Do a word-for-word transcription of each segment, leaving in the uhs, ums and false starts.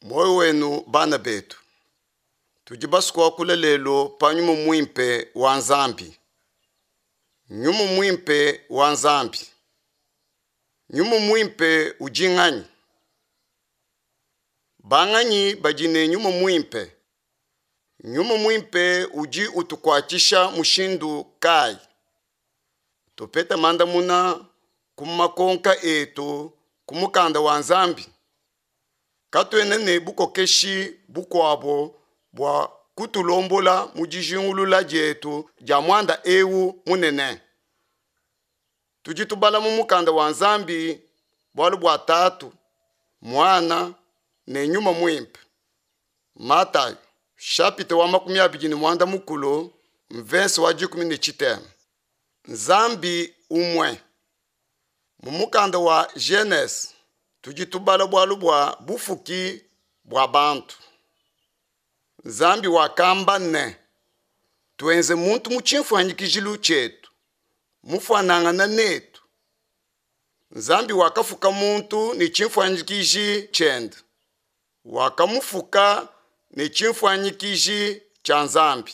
Muoyo wenu bana betu, tudi basue kuakula lelu pa nyuma muimpe wa Nzambi. Nyuma muimpe wa Nzambi. Nyuma muimpe udi nganyi? Banganyi badi ne nyuma muimpe? Nyuma muimpe udi utukuatshisha mushindu kayi? Tupete mandamuna ku makonka etu ku mukanda wa Nzambi. Katuena ne bukokeshi bukuabo bua kutulombola mu dijingulula dietu dia muanda eu munene. Tudi tubala mu mukanda wa Nzambi bualu bua Tatu, Muana ne Nyuma Muimpe. Matayo chapitre wa makumi abidi ne muanda mukulu mverse wa dikumi ne tshitema. Nzambi umue. Mu mukanda wa Genese tudi tubala bualu bua bufuki bua bantu. Nzambi wakamba ne, tuenze muntu mu tshimfuanyikijilu tshietu, mufuanangana netu. Nzambi wakafuka muntu ne tshimfuanyikiji tshiende, wakamufuka ne tshimfuanyikiji tshia Nzambi.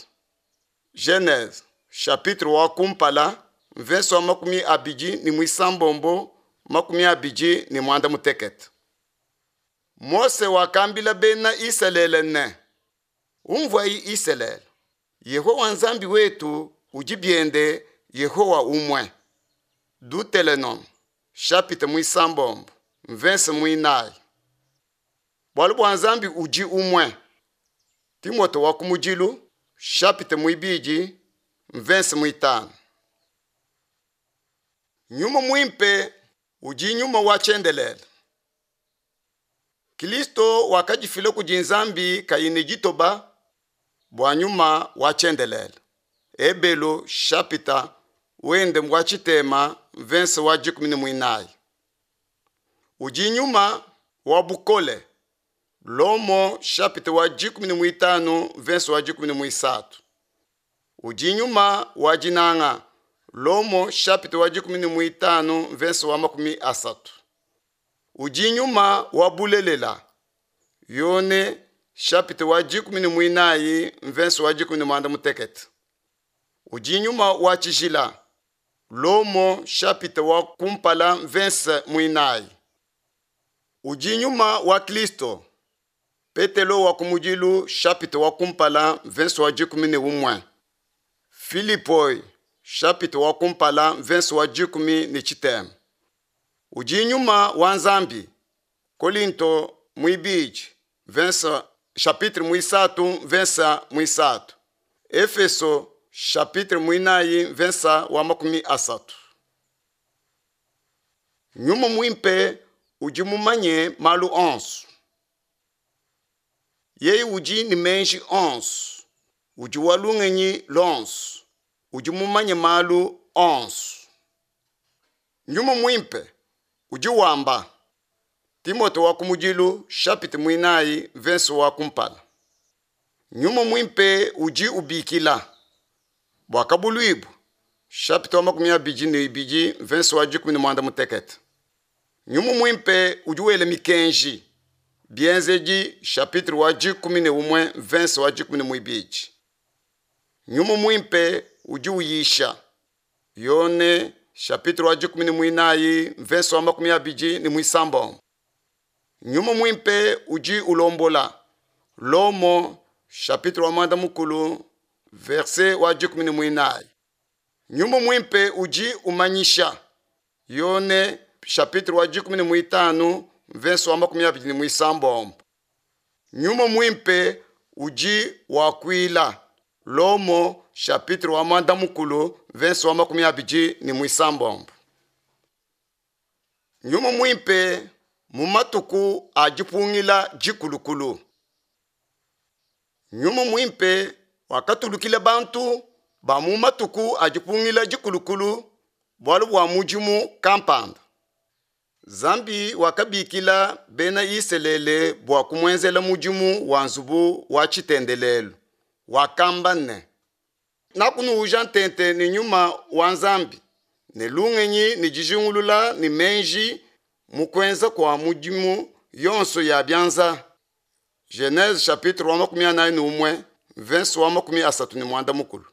Genese chapitre wa kumpala mverse wa makumi abidi ne muisambombo makumi abidi ne muanda mutekete. Mose wakambila bena Isalele ne, umvuayi Isalele, Yehowa Nzambi wetu udi biende Yehowa umue. Deuteronome chapitre muisambombo mverse muinayi. Bualu bua Nzambi udi umue. Timote wa kumudilu chapitre muibidi mverse muitanu. Nyuma muimpe udi nyuma wa tshiendelele. Kristo wakadifila kudi Nzambi kayi ne ditoba bua nyuma wa tshiendelele. Ebelu chapitre wende wa tshitema mverse wa dikumi ne muinayi. Udi nyuma wa bukole. Lomo chapitre wa dikumi ne muitanu mverse wa dikumi ne muisatu. Udi nyuma wa dinanga. Lomo chapitre wa dikumi ne muitanu mverse wa makumi asatu. Udi nyuma wa bulelela. Yone chapitre wa dikumi ne muinayi mverse wa dikumi ne muanda mutekete. Udi nyuma wa tshijila. Lomo chapitre wa kumpala mverse muinayi. Udi nyuma wa Kristo. Petelo wa kumudilu chapitre wa kumpala mverse wa dikumi ne umue. Filipoi chapitre wa kumpala mverse wa dikumi ne tshitema. Udi nyuma wa Nzambi. Kolinto muibidi verse chapitre muisatu verse muisatu. Efeso chapitre muinayi verse wa makumi asatu. Nyuma muimpe udi mumanye malu onso. Yeye udi ne meji onso, udi wa lungenyi lonso, udi mumanye malu onso. Nyuma muimpe udi wamba. Timote wa kumudilu chapitre muinayi verse wa kumpala. Nyuma muimpe udi ubikila. Buakabuluibua chapitre wa makumi abidi ne ibidi verse wa dikumi ne muanda mutekete. Nyuma muimpe udi wela mikenji. Bienzedi chapitre wa dikumi ne umue verse wa dikumi ne muibidi. Nyuma muimpe udi uyisha. Yone chapitre wa dikumi ne muinayi verse wa makumi abidi ne muisambombo. Nyuma muimpe udi ulombola. Lomo chapitre wa muanda mukulu verse wa dikumi ne muinayi. Nyuma muimpe udi umanyisha. Yone chapitre wa dikumi ne muitanu verse wa makumi abidi ne muisambombo. Nyuma muimpe udi wakuila. Lomo chapitre wa muanda mukulu verse wa makumi abidi ne muisambombo. Nyuma muimpe mu matuku a dipungila dikulukulu. Nyuma muimpe wakatulukila bantu ba mu matuku a dipungila dikulukulu bualu bua mudimu kampanda. Nzambi wakabikila bena Isalele bua kumuenzela mudimu wa nzubu wa tshitendelelu. Wakamba ne, nakunuuja ntente ne nyuma wa Nzambi ne lungenyi ne dijingulula ne meji mu kuenza kua mudimu yonso ya bianza. Genese chapitre wa makumi anayi ne umue verse wa makumi asatu ne muanda mukulu.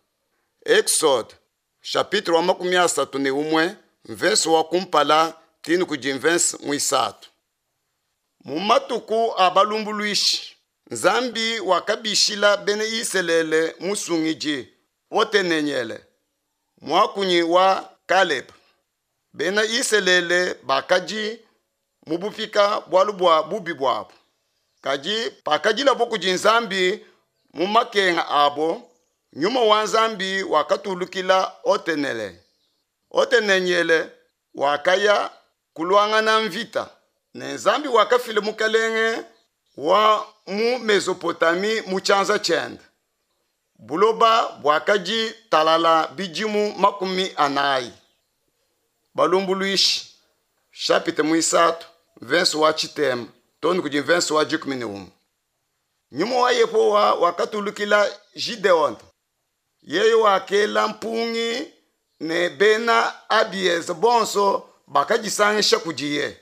Exode chapitre wa makumi asatu ne umue verse wa kumpala tinu kudi verse muisatu. Mu matuku a balumbuluishi Nzambi wakabishila bena Isalele musungidi Otenenyele muakunyi wa Kaleb. Bena Isalele bakadi mu bupika bualu bua bubi buabu. Kadi pakadilabo kudi Nzambi mu makenga abo, nyuma wa Nzambi wakatulukila Otenele. Otenenyele wakaya kuluangana mvita ne Nzambi wakafila mukalenge wa mu Mesopotami mu tshianza tshiende. Buloba buakadi talala bidimu makumi anayi. Balumbuluishi chapitre muisatu verse wa tshitema tonu kudi verse wa dikumi ne umue. Nyuma wa Yehowa wakatulukila Gideon. Yeye wakela mpungi ne bena Abieze bonso bakadisangisha kudiye.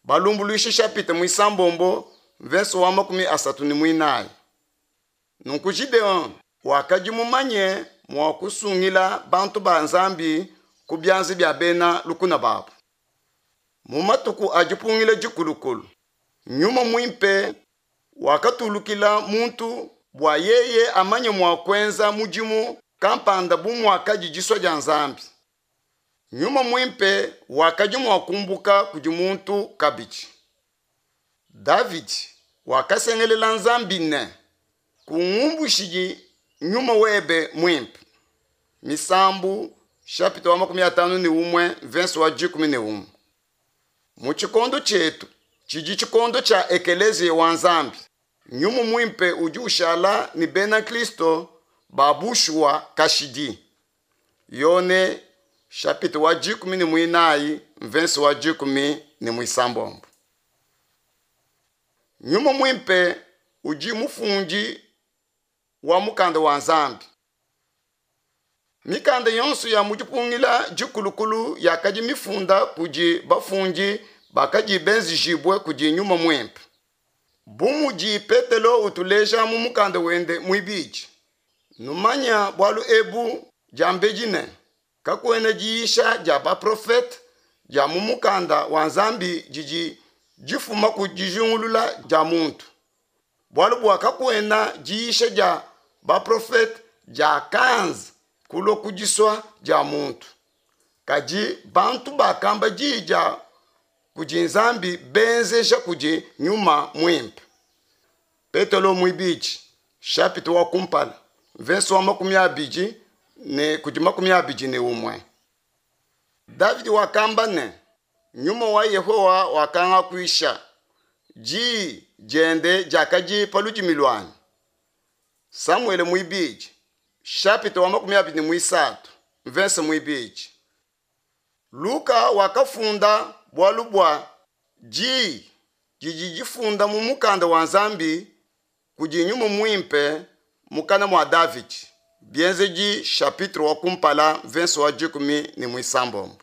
Balumbuluishi chapitre muisambombo verse wa makumi asatu ne muinayi. Nunku Gideon wakadi mumanye mua kusungila bantu ba Nzambi ku bianza bia bena lukuna babu. Mu matuku a dipungila dikulukulu, nyuma muimpe wakatulukila muntu bua yeye amanye mua kuenza mudimu kampanda bu muakadi disua dia Nzambi. Nyuma muimpe wakadi mua kumbuka kudi muntu kabidi. Davidi wakasengelela Nzambi ne, kungumbushidi nyuma webe muimpe. Misambu chapitre wa makumi atanu ne umue verse wa dikumi ne umue. Mu tshikondo tshietu tshidi tshikondo tshia ekeleziya wa Nzambi, nyuma muimpe udi ushala ne bena Kristo ba bushuwa kashidi. Yone chapitre wa dikumi ne muinayi verse wa dikumi ne muisambombo. Nyuma muimpe udi mufundi wa mukanda wa Nzambi. Mikanda yonso ya mu dipungila dikulukulu yakadi mifunda kudi bafundi bakadi benzejibue kudi nyuma muimpe. Bu mudi Petelo utuleja mu mukanda wende muibidi, numanya bualu ebu diambedi ne kakuena diyisha dia baprofete dia mu mukanda wa Nzambi didi difuma ku dijingulula dia muntu. Bualu bua kakuena diyisha dia baprofete dia kanza kulua ku disua dia muntu. Kadi bantu bakamba diyi dia kudi Nzambi benzeja kudi nyuma muimpe. Petelo muibidi chapitre wa kumpala verse wa makumi abidi ne kudi makumi abidi ne umue. Davidi wakamba ne, nyuma wa Yehowa wakangakuisha, diyi diende diakadi pa ludimi luanyi. Samuele muibidi chapitre wa makumi abidi ne muisatu verse muibidi. Luka wakafunda bualu bua diyi didi difunda mu mukanda wa Nzambi kudi nyuma muimpe mukana mua Davidi. Bienzedi chapitre wa kumpala verse wa dikumi ne muisambombo.